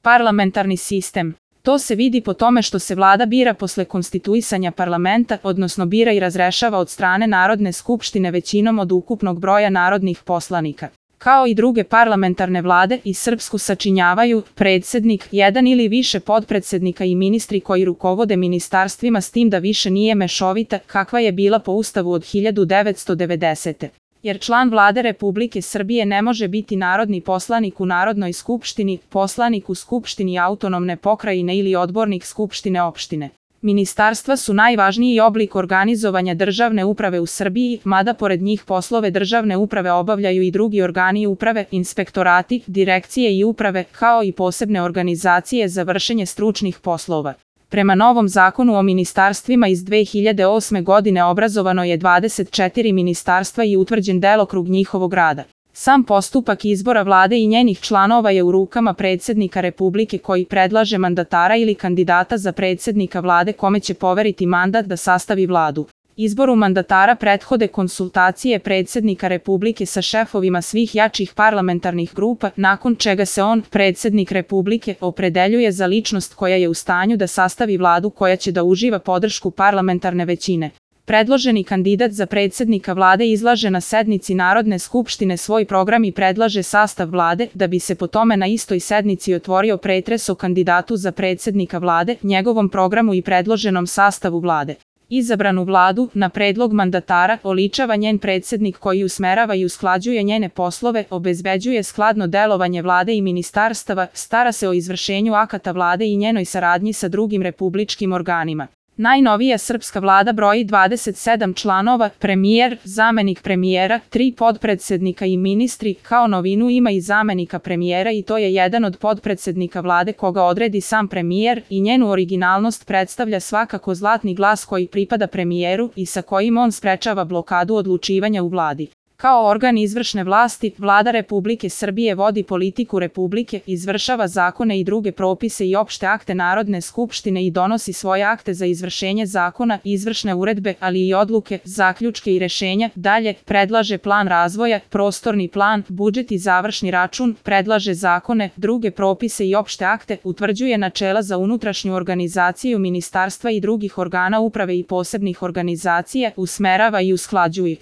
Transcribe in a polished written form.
Parlamentarni sistem. To se vidi po tome što se vlada bira posle konstituisanja parlamenta, odnosno bira i razrešava od strane Narodne skupštine većinom od ukupnog broja narodnih poslanika. Kao i druge parlamentarne vlade, i srpsku sačinjavaju predsednik, jedan ili više potpredsednika i ministri koji rukovode ministarstvima, s tim da više nije mešovita, kakva je bila po Ustavu od 1990. Jer član vlade Republike Srbije ne može biti narodni poslanik u Narodnoj skupštini, poslanik u Skupštini autonomne pokrajine ili odbornik Skupštine opštine. Ministarstva su najvažniji oblik organizovanja državne uprave u Srbiji, mada pored njih poslove državne uprave obavljaju i drugi organi uprave, inspektorati, direkcije i uprave, kao i posebne organizacije za vršenje stručnih poslova. Prema novom zakonu o ministarstvima iz 2008. godine obrazovano je 24 ministarstva i utvrđen delokrug njihovog rada. Sam postupak izbora vlade i njenih članova je u rukama predsednika Republike koji predlaže mandatara ili kandidata za predsednika vlade kome će poveriti mandat da sastavi vladu. Izboru mandatara prethode konsultacije predsednika Republike sa šefovima svih jačih parlamentarnih grupa, nakon čega se on, predsednik Republike, opredeljuje za ličnost koja je u stanju da sastavi vladu koja će da uživa podršku parlamentarne većine. Predloženi kandidat za predsednika vlade izlaže na sednici Narodne skupštine svoj program i predlaže sastav vlade, da bi se po tome na istoj sednici otvorio pretres o kandidatu za predsednika vlade, njegovom programu i predloženom sastavu vlade. Izabranu vladu, na predlog mandatara, oličava njen predsednik koji usmerava i usklađuje njene poslove, obezbeđuje skladno delovanje vlade i ministarstava, stara se o izvršenju akata vlade i njenoj saradnji sa drugim republičkim organima. Najnovija srpska vlada broji 27 članova, premijer, zamenik premijera, 3 potpredsednika i ministri, kao novinu ima i zamenika premijera i to je jedan od potpredsednika vlade koga odredi sam premijer i njenu originalnost predstavlja svakako zlatni glas koji pripada premijeru i sa kojim on sprečava blokadu odlučivanja u vladi. Kao organ izvršne vlasti, Vlada Republike Srbije vodi politiku Republike, izvršava zakone i druge propise i opšte akte Narodne skupštine i donosi svoje akte za izvršenje zakona, izvršne uredbe, ali i odluke, zaključke i rešenja, dalje, predlaže plan razvoja, prostorni plan, budžet i završni račun, predlaže zakone, druge propise i opšte akte, utvrđuje načela za unutrašnju organizaciju ministarstva i drugih organa uprave i posebnih organizacija, usmerava i usklađuje.